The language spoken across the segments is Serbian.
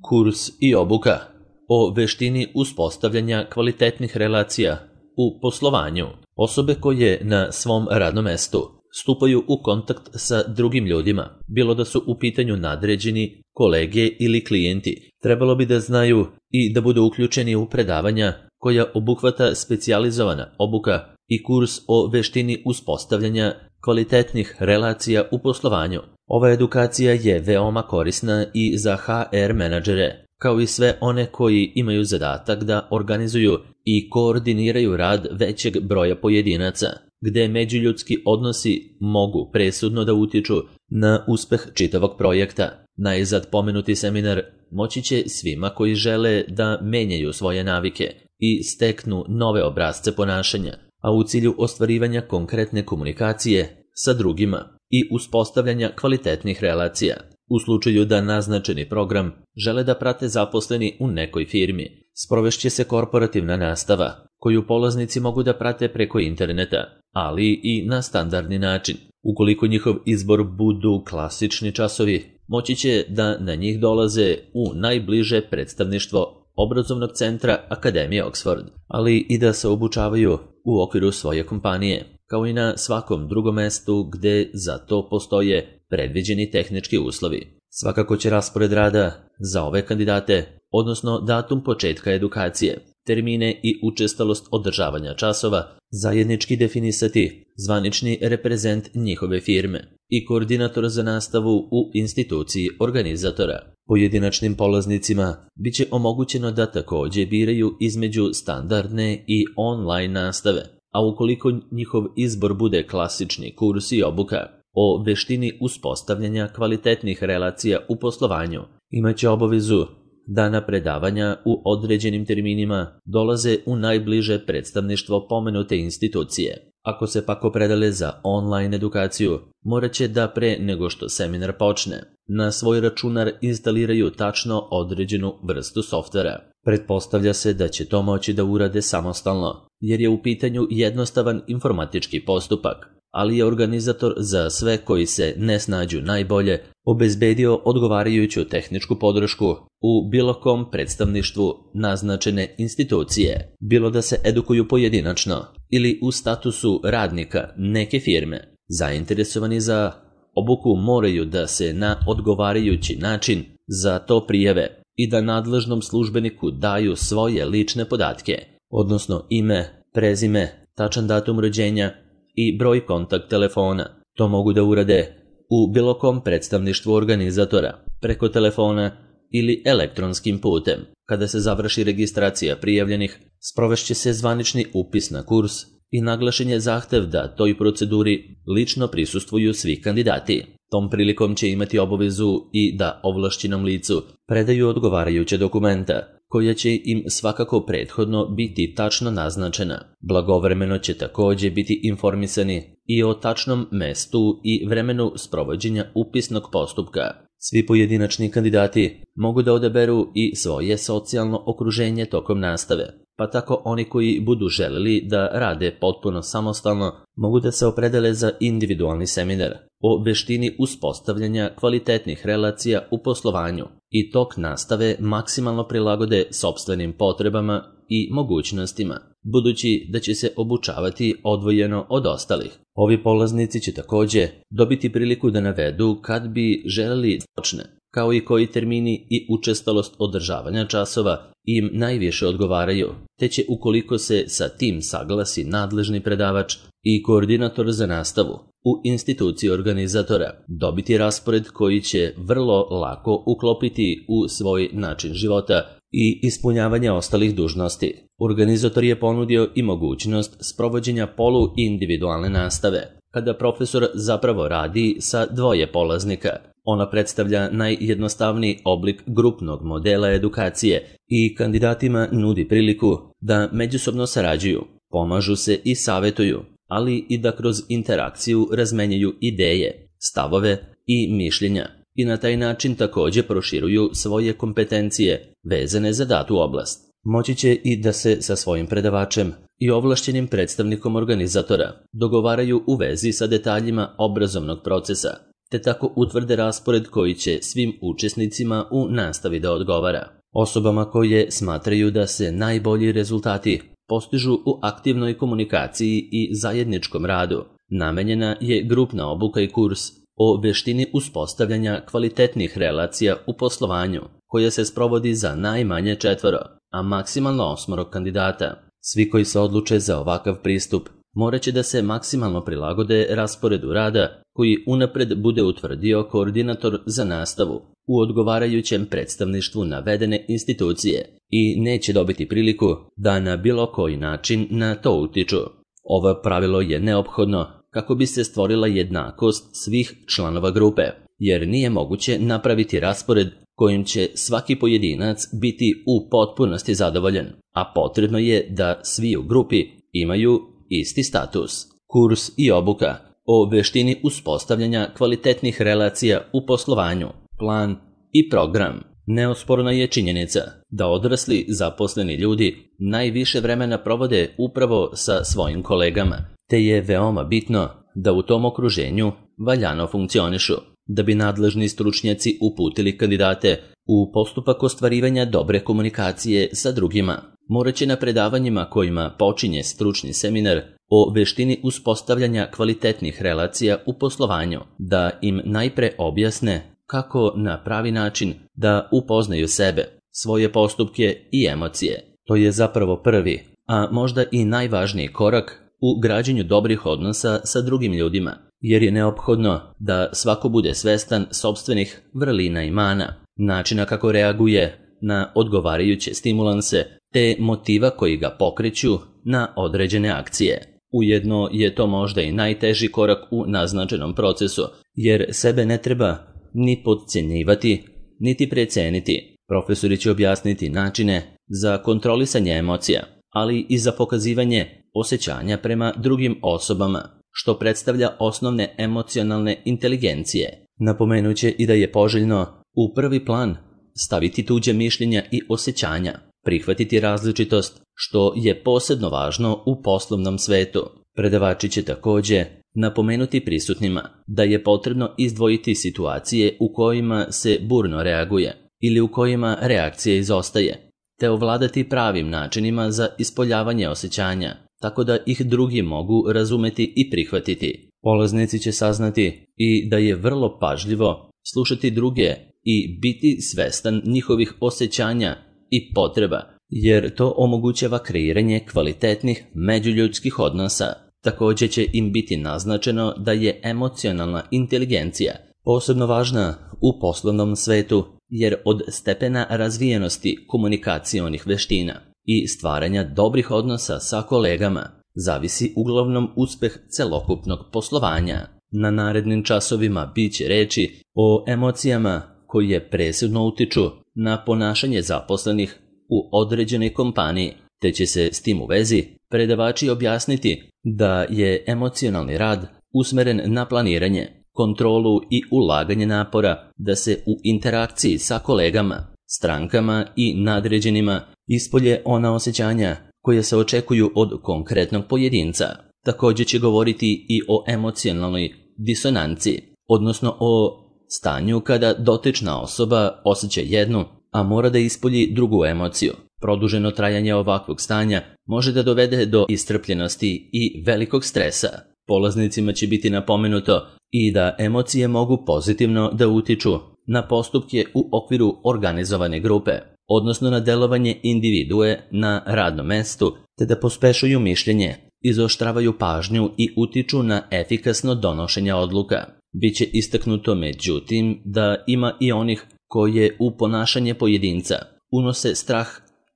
Kurs i obuka o veštini uspostavljanja kvalitetnih relacija u poslovanju. Osobe koje na svom radnom mestu stupaju u kontakt sa drugim ljudima, bilo da su u pitanju nadređeni, kolege ili klijenti, trebalo bi da znaju i da budu uključeni u predavanja koja obuhvata specijalizovana obuka i kurs o veštini uspostavljanja kvalitetnih relacija u poslovanju. Ova edukacija je veoma korisna i za HR menadžere, kao i sve one koji imaju zadatak da organizuju i koordiniraju rad većeg broja pojedinaca, gde međuljudski odnosi mogu presudno da utiču na uspeh čitavog projekta. Najzad pomenuti seminar moći će svima koji žele da menjaju svoje navike i steknu nove obrasce ponašanja, a u cilju ostvarivanja konkretne komunikacije sa drugima i uspostavljanja kvalitetnih relacija. U slučaju da naznačeni program žele da prate zaposleni u nekoj firmi, sprovešće se korporativna nastava, koju polaznici mogu da prate preko interneta, ali i na standardni način. Ukoliko njihov izbor budu klasični časovi, moći će da na njih dolaze u najbliže predstavništvo obrazovnog centra Akademije Oxford, ali i da se obučavaju u okviru svoje kompanije, kao i na svakom drugom mestu gde za to postoje predviđeni tehnički uslovi. Svakako će raspored rada za ove kandidate, odnosno datum početka edukacije, termine i učestalost održavanja časova, zajednički definisati zvanični reprezent njihove firme i koordinator za nastavu u instituciji organizatora. Pojedinačnim polaznicima biće omogućeno da takođe biraju između standardne i online nastave, a ukoliko njihov izbor bude klasični kurs i obuka o veštini uspostavljanja kvalitetnih relacija u poslovanju, imaće obavezu da na predavanja u određenim terminima dolaze u najbliže predstavništvo pomenute institucije. Ako se pak opredele za online edukaciju, morat će da pre nego što seminar počne, na svoj računar instaliraju tačno određenu vrstu softvera. Pretpostavlja se da će to moći da urade samostalno, jer je u pitanju jednostavan informatički postupak, ali je organizator za sve koji se ne snađu najbolje obezbedio odgovarajuću tehničku podršku u bilo kom predstavništvu naznačene institucije, bilo da se edukuju pojedinačno ili u statusu radnika neke firme. Zainteresovani za obuku moraju da se na odgovarajući način za to prijave i da nadležnom službeniku daju svoje lične podatke, odnosno ime, prezime, tačan datum rođenja i broj kontakt telefona. To mogu da urade u bilo kom predstavništvu organizatora, preko telefona ili elektronskim putem. Kada se završi registracija prijavljenih, sprovešće se zvanični upis na kurs i naglašen je zahtev da toj proceduri lično prisustvuju svi kandidati. Tom prilikom će imati obavezu i da ovlašćenom licu predaju odgovarajuće dokumenta, koja će im svakako prethodno biti tačno naznačena. Blagovremeno će takođe biti informisani i o tačnom mestu i vremenu sprovođenja upisnog postupka. Svi pojedinačni kandidati mogu da odaberu i svoje socijalno okruženje tokom nastave, pa tako oni koji budu želeli da rade potpuno samostalno mogu da se opredele za individualni seminar o veštini uspostavljanja kvalitetnih relacija u poslovanju i tok nastave maksimalno prilagode sopstvenim potrebama i mogućnostima, budući da će se obučavati odvojeno od ostalih. Ovi polaznici će takođe dobiti priliku da navedu kad bi želeli počne, kao i koji termini i učestalost održavanja časova im najviše odgovaraju, te će ukoliko se sa tim saglasi nadležni predavač i koordinator za nastavu u instituciji organizatora dobiti raspored koji će vrlo lako uklopiti u svoj način života i ispunjavanja ostalih dužnosti. Organizator je ponudio i mogućnost sprovođenja polu-individualne nastave, kada profesor zapravo radi sa dvoje polaznika. Ona predstavlja najjednostavniji oblik grupnog modela edukacije i kandidatima nudi priliku da međusobno sarađuju, pomažu se i savetuju, ali i da kroz interakciju razmenjaju ideje, stavove i mišljenja i na taj način takođe proširuju svoje kompetencije vezane za datu oblast. Moći će i da se sa svojim predavačem i ovlašćenim predstavnikom organizatora dogovaraju u vezi sa detaljima obrazovnog procesa, te tako utvrde raspored koji će svim učesnicima u nastavi da odgovara. Osobama koje smatraju da se najbolji rezultati postižu u aktivnoj komunikaciji i zajedničkom radu namenjena je grupna obuka i kurs o veštini uspostavljanja kvalitetnih relacija u poslovanju, koja se sprovodi za najmanje 4, a maksimalno 8 kandidata. Svi koji se odluče za ovakav pristup morat će da se maksimalno prilagode rasporedu rada koji unapred bude utvrdio koordinator za nastavu u odgovarajućem predstavništvu navedene institucije i neće dobiti priliku da na bilo koji način na to utiču. Ovo pravilo je neophodno kako bi se stvorila jednakost svih članova grupe, jer nije moguće napraviti raspored kojim će svaki pojedinac biti u potpunosti zadovoljan, a potrebno je da svi u grupi imaju isti status. Kurs i obuka o veštini uspostavljanja kvalitetnih relacija u poslovanju, plan i program. Neosporna je činjenica da odrasli zaposleni ljudi najviše vremena provode upravo sa svojim kolegama, te je veoma bitno da u tom okruženju valjano funkcionišu. Da bi nadležni stručnjaci uputili kandidate u postupak ostvarivanja dobre komunikacije sa drugima, morat će na predavanjima kojima počinje stručni seminar o veštini uspostavljanja kvalitetnih relacija u poslovanju da im najpre objasne kako na pravi način da upoznaju sebe, svoje postupke i emocije. To je zapravo prvi, a možda i najvažniji korak u građenju dobrih odnosa sa drugim ljudima, jer je neophodno da svako bude svestan sopstvenih vrlina i mana, načina kako reaguje na odgovarajuće stimulanse, te motiva koji ga pokreću na određene akcije. Ujedno je to možda i najteži korak u naznačenom procesu, jer sebe ne treba ni podcjenjivati, niti preceniti. Profesori će objasniti načine za kontrolisanje emocija, ali i za pokazivanje osjećanja prema drugim osobama, što predstavlja osnovne emocionalne inteligencije. Napomenut će i da je poželjno u prvi plan staviti tuđe mišljenja i osjećanja, prihvatiti različitost, što je posebno važno u poslovnom svetu. Predavači će također napomenuti prisutnima da je potrebno izdvojiti situacije u kojima se burno reaguje ili u kojima reakcija izostaje, te ovladati pravim načinima za ispoljavanje osjećanja, tako da ih drugi mogu razumeti i prihvatiti. Polaznici će saznati i da je vrlo pažljivo slušati druge i biti svestan njihovih osjećanja i potreba, jer to omogućava kreiranje kvalitetnih međuljudskih odnosa. Također će im biti naznačeno da je emocionalna inteligencija posebno važna u poslovnom svetu, jer od stepena razvijenosti komunikacionih veština i stvaranja dobrih odnosa sa kolegama zavisi uglavnom uspeh celokupnog poslovanja. Na narednim časovima bit će reči o emocijama koje presudno utiču na ponašanje zaposlenih u određenoj kompaniji, te će se s tim u vezi predavači objasniti da je emocionalni rad usmeren na planiranje, kontrolu i ulaganje napora da se u interakciji sa kolegama, strankama i nadređenima ispolje ona osjećanja koje se očekuju od konkretnog pojedinca. Također će govoriti i o emocionalnoj disonanci, odnosno o stanju kada dotična osoba osjeća jednu, a mora da ispolji drugu emociju. Produženo trajanje ovakvog stanja može da dovede do iscrpljenosti i velikog stresa. Polaznicima će biti napomenuto i da emocije mogu pozitivno da utiču na postupke u okviru organizovane grupe, odnosno na delovanje individue na radnom mestu, te da pospešuju mišljenje, izoštravaju pažnju i utiču na efikasno donošenje odluka. Biće istaknuto međutim da ima i onih koje u ponašanje pojedinca unose strah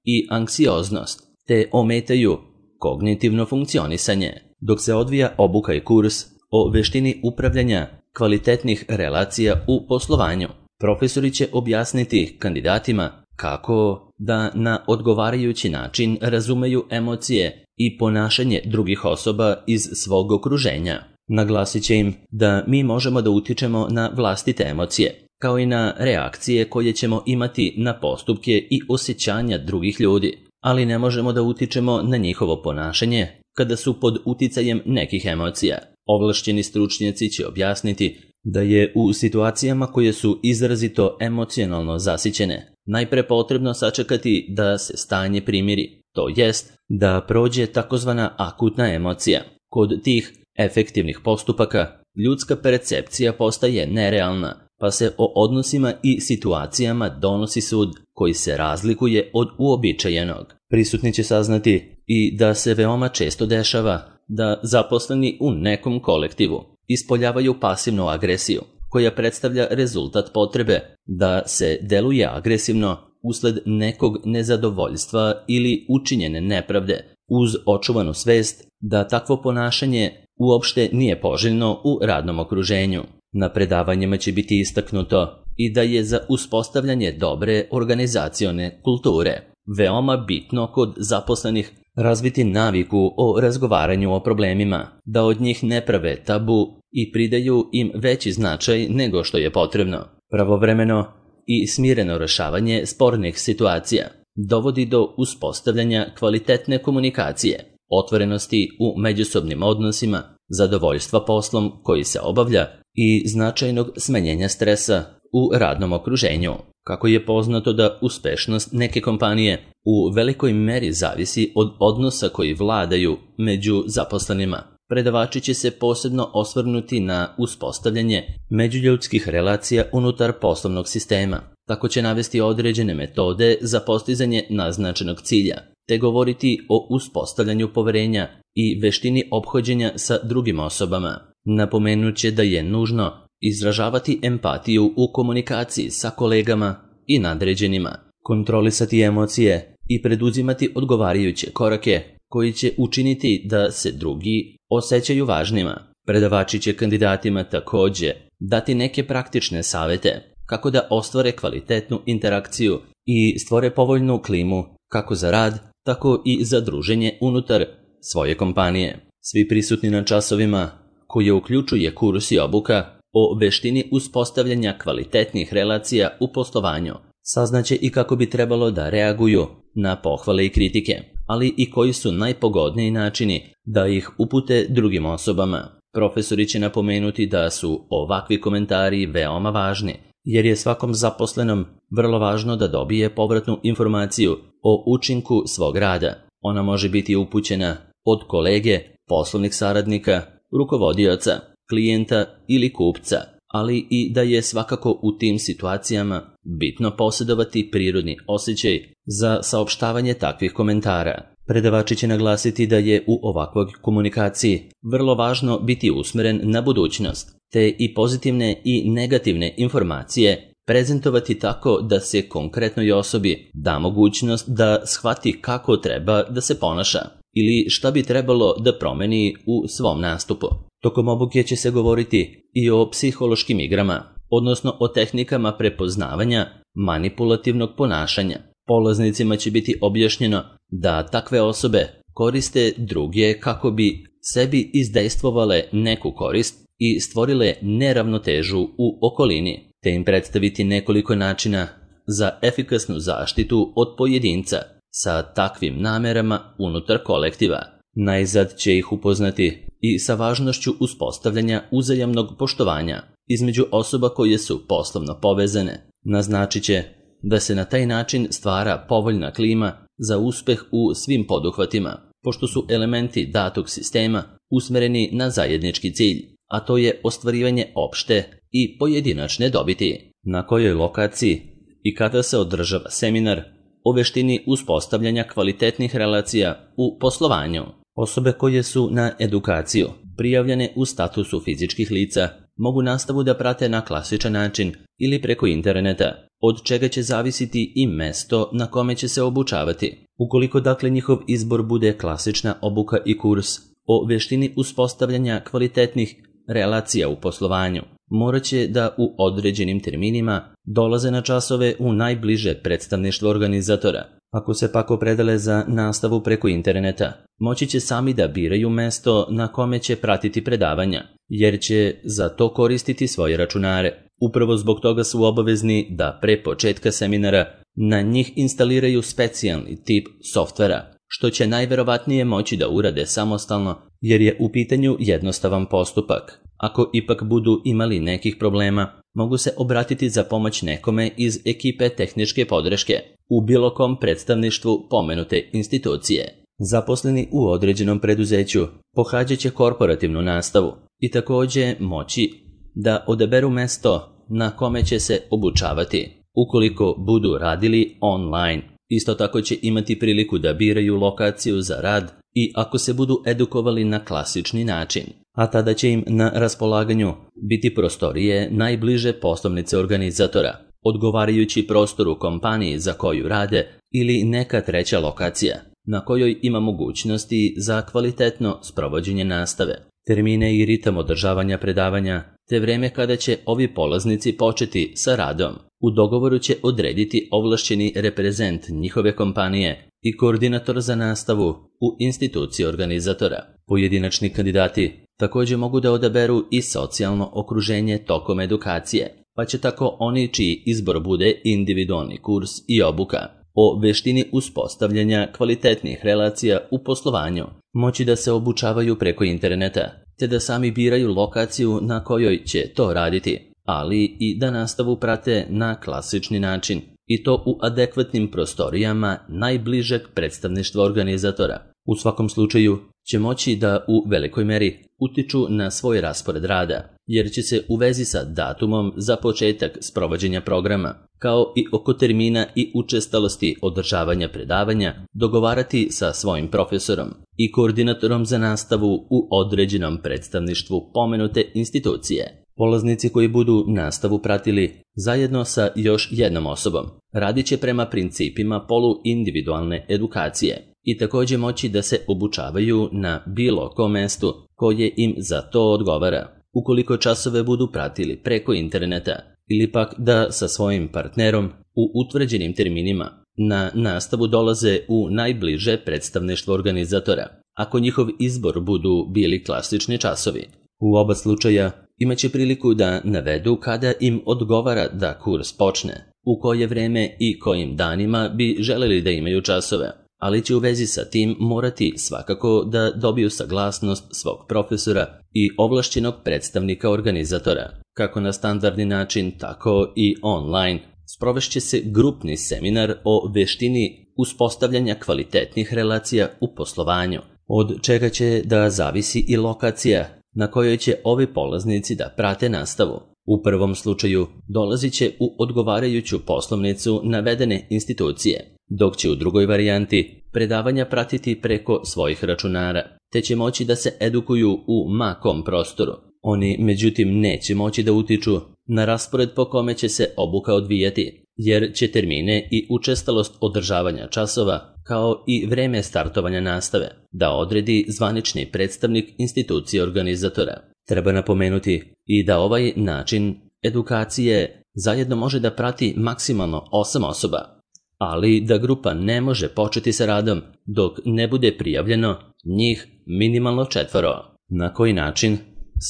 i anksioznost, te ometaju kognitivno funkcionisanje. Dok se odvija obuka i kurs o veštini upravljanja kvalitetnih relacija u poslovanju, profesori će objasniti kandidatima kako da na odgovarajući način razumeju emocije i ponašanje drugih osoba iz svog okruženja. Naglasit će im da mi možemo da utičemo na vlastite emocije, kao i na reakcije koje ćemo imati na postupke i osjećanja drugih ljudi, ali ne možemo da utičemo na njihovo ponašanje kada su pod uticajem nekih emocija. Ovlašćeni stručnjaci će objasniti da je u situacijama koje su izrazito emocionalno zasićene najpre potrebno sačekati da se stanje primiri, to jest da prođe takozvana akutna emocija. Kod tih efektivnih postupaka ljudska percepcija postaje nerealna, pa se o odnosima i situacijama donosi sud koji se razlikuje od uobičajenog. Prisutni će saznati i da se veoma često dešava da zaposleni u nekom kolektivu ispoljavaju pasivnu agresiju, koja predstavlja rezultat potrebe da se deluje agresivno usled nekog nezadovoljstva ili učinjene nepravde, uz očuvanu svest da takvo ponašanje uopšte nije poželjno u radnom okruženju. Na predavanjima će biti istaknuto i da je za uspostavljanje dobre organizacione kulture veoma bitno kod zaposlenih razviti naviku o razgovaranju o problemima, da od njih ne prave tabu i pridaju im veći značaj nego što je potrebno. Pravovremeno i smireno rešavanje spornih situacija dovodi do uspostavljanja kvalitetne komunikacije, otvorenosti u međusobnim odnosima, zadovoljstva poslom koji se obavlja i značajnog smanjenja stresa u radnom okruženju. Kako je poznato da uspešnost neke kompanije u velikoj meri zavisi od odnosa koji vladaju među zaposlenima, predavači će se posebno osvrnuti na uspostavljanje međuljudskih relacija unutar poslovnog sistema. Tako će navesti određene metode za postizanje naznačenog cilja, te govoriti o uspostavljanju poverenja i veštini ophođenja sa drugim osobama. Napomenut će da je nužno izražavati empatiju u komunikaciji sa kolegama i nadređenima, kontrolisati emocije i preduzimati odgovarajuće korake koji će učiniti da se drugi osjećaju važnima. Predavači će kandidatima takođe dati neke praktične savete kako da ostvare kvalitetnu interakciju i stvore povoljnu klimu kako za rad, tako i za druženje unutar svoje kompanije. Svi prisutni na časovima, koje uključuje kurs i obuka o veštini uspostavljanja kvalitetnih relacija u poslovanju, saznaće i kako bi trebalo da reaguju na pohvale i kritike, ali i koji su najpogodniji načini da ih upute drugim osobama. Profesori će napomenuti da su ovakvi komentari veoma važni, jer je svakom zaposlenom vrlo važno da dobije povratnu informaciju o učinku svog rada. Ona može biti upućena od kolege, poslovnih saradnika, rukovodioca, klijenta ili kupca, ali i da je svakako u tim situacijama bitno posjedovati prirodni osjećaj za saopštavanje takvih komentara. Predavači će naglasiti da je u ovakvoj komunikaciji vrlo važno biti usmeren na budućnost, te i pozitivne i negativne informacije prezentovati tako da se konkretnoj osobi da mogućnost da shvati kako treba da se ponaša ili šta bi trebalo da promeni u svom nastupu. Tokom obuke će se govoriti i o psihološkim igrama, odnosno o tehnikama prepoznavanja manipulativnog ponašanja. Polaznicima će biti objašnjeno da takve osobe koriste druge kako bi sebi izdejstvovale neku korist i stvorile neravnotežu u okolini, te im predstaviti nekoliko načina za efikasnu zaštitu od pojedinca sa takvim namerama unutar kolektiva. Najzad će ih upoznati i sa važnošću uspostavljanja uzajamnog poštovanja između osoba koje su poslovno povezane. Naznačit će da se na taj način stvara povoljna klima za uspeh u svim poduhvatima, pošto su elementi datog sistema usmereni na zajednički cilj, a to je ostvarivanje opšte i pojedinačne dobiti. Na kojoj lokaciji i kada se održava seminar o veštini uspostavljanja kvalitetnih relacija u poslovanju? Osobe koje su na edukaciju prijavljene u statusu fizičkih lica mogu nastavu da prate na klasičan način ili preko interneta, od čega će zavisiti i mesto na kome će se obučavati. Ukoliko dakle njihov izbor bude klasična obuka i kurs o veštini uspostavljanja kvalitetnih relacija u poslovanju, morat će da u određenim terminima dolaze na časove u najbliže predstavništvo organizatora. Ako se pak opredele za nastavu preko interneta, moći će sami da biraju mesto na kome će pratiti predavanja, jer će za to koristiti svoje računare. Upravo zbog toga su obavezni da pre početka seminara na njih instaliraju specijalni tip softvera što će najverovatnije moći da urade samostalno jer je u pitanju jednostavan postupak. Ako ipak budu imali nekih problema, mogu se obratiti za pomoć nekome iz ekipe tehničke podrške u bilo kom predstavništvu pomenute institucije. Zaposleni u određenom preduzeću pohađat će korporativnu nastavu i također moći da odaberu mesto na kome će se obučavati ukoliko budu radili online. Isto tako će imati priliku da biraju lokaciju za rad i ako se budu edukovali na klasični način, a tada će im na raspolaganju biti prostorije najbliže poslovnice organizatora, odgovarajući prostoru kompaniji za koju rade ili neka treća lokacija na kojoj ima mogućnosti za kvalitetno sprovođenje nastave, termine i ritam održavanja predavanja, te vreme kada će ovi polaznici početi sa radom. U dogovoru će odrediti ovlašćeni reprezent njihove kompanije i koordinator za nastavu u instituciji organizatora. Pojedinačni kandidati također mogu da odaberu i socijalno okruženje tokom edukacije, pa će tako oni čiji izbor bude individualni kurs i obuka o veštini uspostavljanja kvalitetnih relacija u poslovanju moći da se obučavaju preko interneta, te da sami biraju lokaciju na kojoj će to raditi, ali i da nastavu prate na klasični način i to u adekvatnim prostorijama najbližeg predstavništva organizatora. U svakom slučaju će moći da u velikoj meri utiču na svoj raspored rada, jer će se u vezi sa datumom za početak sprovođenja programa, kao i oko termina i učestalosti održavanja predavanja, dogovarati sa svojim profesorom i koordinatorom za nastavu u određenom predstavništvu pomenute institucije. Polaznici koji budu nastavu pratili zajedno sa još jednom osobom radit će prema principima poluindividualne edukacije i također moći da se obučavaju na bilo kom mestu koje im za to odgovara, ukoliko časove budu pratili preko interneta ili pak da sa svojim partnerom u utvrđenim terminima na nastavu dolaze u najbliže predstavništvo organizatora, ako njihov izbor budu bili klasični časovi. U oba slučaja imaće priliku da navedu kada im odgovara da kurs počne, u koje vreme i kojim danima bi želeli da imaju časove, ali će u vezi sa tim morati svakako da dobiju saglasnost svog profesora i ovlašćenog predstavnika organizatora, kako na standardni način, tako i online. Sprovešće se grupni seminar o veštini uspostavljanja kvalitetnih relacija u poslovanju, od čega će da zavisi i lokacija na kojoj će ovi polaznici da prate nastavu. U prvom slučaju dolazit će u odgovarajuću poslovnicu navedene institucije, dok će u drugoj varijanti predavanja pratiti preko svojih računara, te će moći da se edukuju u ma kom prostoru. Oni, međutim, neće moći da utiču na raspored po kome će se obuka odvijati, jer će termine i učestalost održavanja časova, kao i vreme startovanja nastave, da odredi zvanični predstavnik institucije organizatora. Treba napomenuti i da ovaj način edukacije zajedno može da prati maksimalno 8 osoba, ali da grupa ne može početi sa radom dok ne bude prijavljeno njih minimalno 4. Na koji način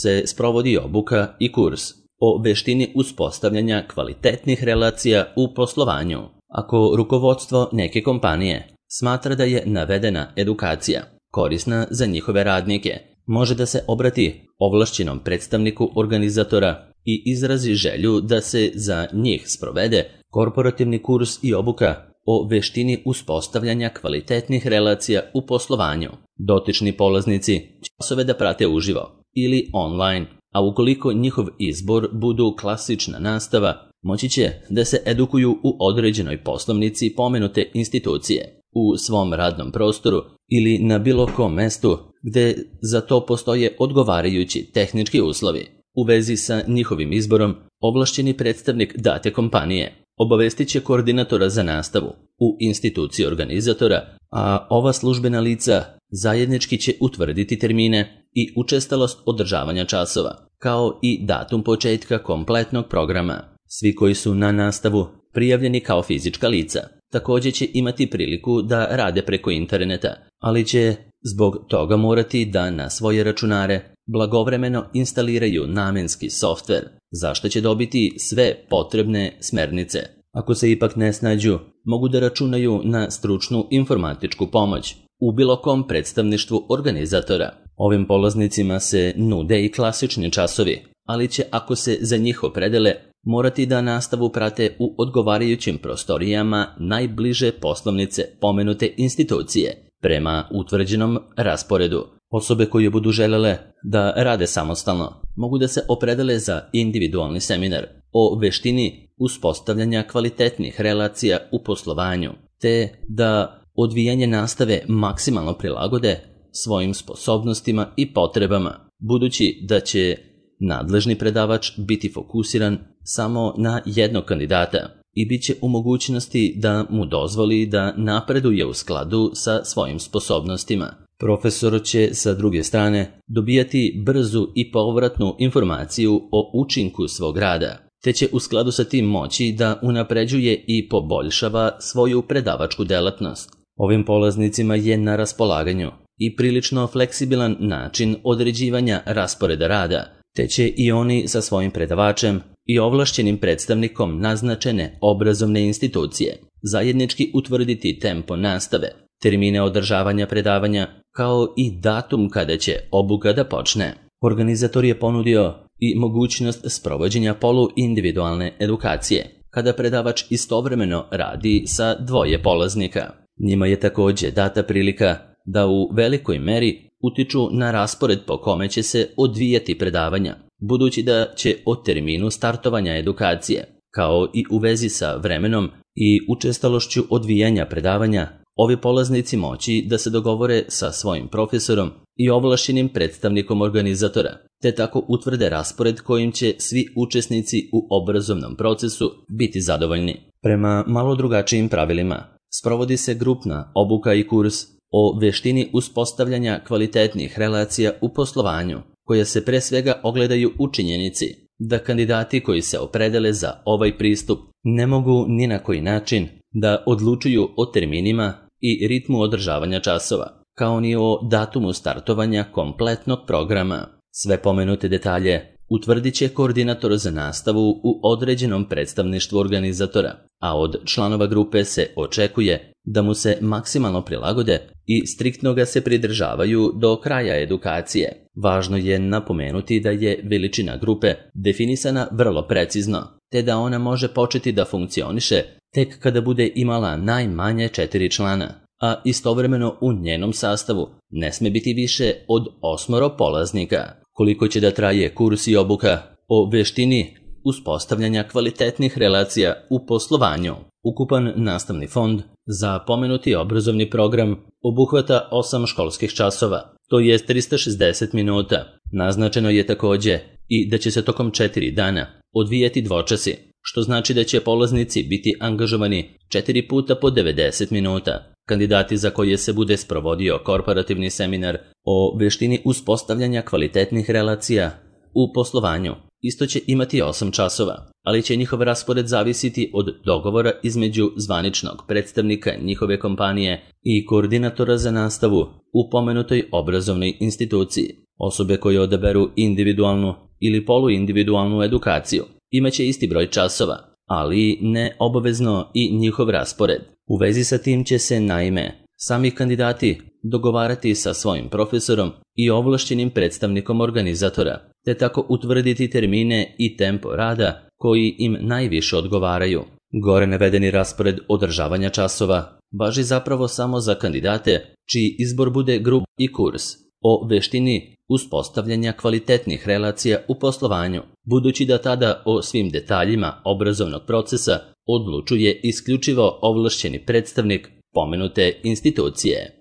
se sprovodi obuka i kurs o veštini uspostavljanja kvalitetnih relacija u poslovanju? Ako rukovodstvo neke kompanije smatra da je navedena edukacija korisna za njihove radnike, može da se obrati ovlašćenom predstavniku organizatora i izrazi želju da se za njih sprovede korporativni kurs i obuka o veštini uspostavljanja kvalitetnih relacija u poslovanju. Dotični polaznici će časove da prate uživo ili online, a ukoliko njihov izbor budu klasična nastava, moći će da se edukuju u određenoj poslovnici pomenute institucije, u svom radnom prostoru ili na bilo kom mestu gde za to postoje odgovarajući tehnički uslovi. U vezi sa njihovim izborom, ovlašćeni predstavnik date kompanije obavestit će koordinatora za nastavu u instituciji organizatora, a ova službena lica zajednički će utvrditi termine i učestalost održavanja časova, kao i datum početka kompletnog programa. Svi koji su na nastavu prijavljeni kao fizička lica također će imati priliku da rade preko interneta, ali će zbog toga morati da na svoje računare blagovremeno instaliraju namenski softver, za što će dobiti sve potrebne smernice. Ako se ipak ne snađu, mogu da računaju na stručnu informatičku pomoć, u bilo kom predstavništvu organizatora. Ovim polaznicima se nude i klasični časovi, ali će, ako se za njih opredele, morati da nastavu prate u odgovarajućim prostorijama najbliže poslovnice pomenute institucije, prema utvrđenom rasporedu. Osobe koje budu želele da rade samostalno mogu da se opredele za individualni seminar o veštini uspostavljanja kvalitetnih relacija u poslovanju, te da odvijanje nastave maksimalno prilagode svojim sposobnostima i potrebama, budući da će nadležni predavač biti fokusiran samo na jednog kandidata i bit će u mogućnosti da mu dozvoli da napreduje u skladu sa svojim sposobnostima. Profesor će, sa druge strane, dobijati brzu i povratnu informaciju o učinku svog rada, te će u skladu sa tim moći da unapređuje i poboljšava svoju predavačku delatnost. Ovim polaznicima je na raspolaganju i prilično fleksibilan način određivanja rasporeda rada, te će i oni sa svojim predavačem i ovlašćenim predstavnikom naznačene obrazovne institucije zajednički utvrditi tempo nastave, termine održavanja predavanja, kao i datum kada će obuka da počne. Organizator je ponudio i mogućnost sprovođenja poluindividualne edukacije, kada predavač istovremeno radi sa dvoje polaznika. Njima je također data prilika da u velikoj meri utiču na raspored po kome će se odvijati predavanja, budući da će o terminu startovanja edukacije, kao i u vezi sa vremenom i učestalošću odvijanja predavanja, ovi polaznici moći da se dogovore sa svojim profesorom i ovlašćenim predstavnikom organizatora, te tako utvrde raspored kojim će svi učesnici u obrazovnom procesu biti zadovoljni. Prema malo drugačijim pravilima sprovodi se grupna obuka i kurs o veštini uspostavljanja kvalitetnih relacija u poslovanju, koja se pre svega ogledaju u činjenici da kandidati koji se opredele za ovaj pristup ne mogu ni na koji način da odlučuju o terminima i ritmu održavanja časova, kao ni o datumu startovanja kompletnog programa. Sve pomenute detalje utvrdit će koordinator za nastavu u određenom predstavništvu organizatora, a od članova grupe se očekuje da mu se maksimalno prilagode i striktno ga se pridržavaju do kraja edukacije. Važno je napomenuti da je veličina grupe definisana vrlo precizno, te da ona može početi da funkcioniše tek kada bude imala najmanje 4 člana, a istovremeno u njenom sastavu ne sme biti više od 8 polaznika. Koliko će da traje kurs i obuka o veštini uspostavljanja kvalitetnih relacija u poslovanju? Ukupan nastavni fond za pomenuti obrazovni program obuhvata 8 školskih časova, to je 360 minuta. Naznačeno je također i da će se tokom 4 dana odvijati dvočasi, što znači da će polaznici biti angažovani 4 puta po 90 minuta. Kandidati za koje se bude sprovodio korporativni seminar o veštini uspostavljanja kvalitetnih relacija u poslovanju isto će imati 8 časova, ali će njihov raspored zavisiti od dogovora između zvaničnog predstavnika njihove kompanije i koordinatora za nastavu u pomenutoj obrazovnoj instituciji. Osobe koje odaberu individualnu ili poluindividualnu edukaciju imaće isti broj časova, ali ne obavezno i njihov raspored. U vezi sa tim će se, naime, sami kandidati dogovarati sa svojim profesorom i ovlašćenim predstavnikom organizatora, te tako utvrditi termine i tempo rada koji im najviše odgovaraju. Gore navedeni raspored održavanja časova važi zapravo samo za kandidate čiji izbor bude grup i kurs o veštini uspostavljanja kvalitetnih relacija u poslovanju, budući da tada o svim detaljima obrazovnog procesa odlučuje isključivo ovlašćeni predstavnik pomenute institucije.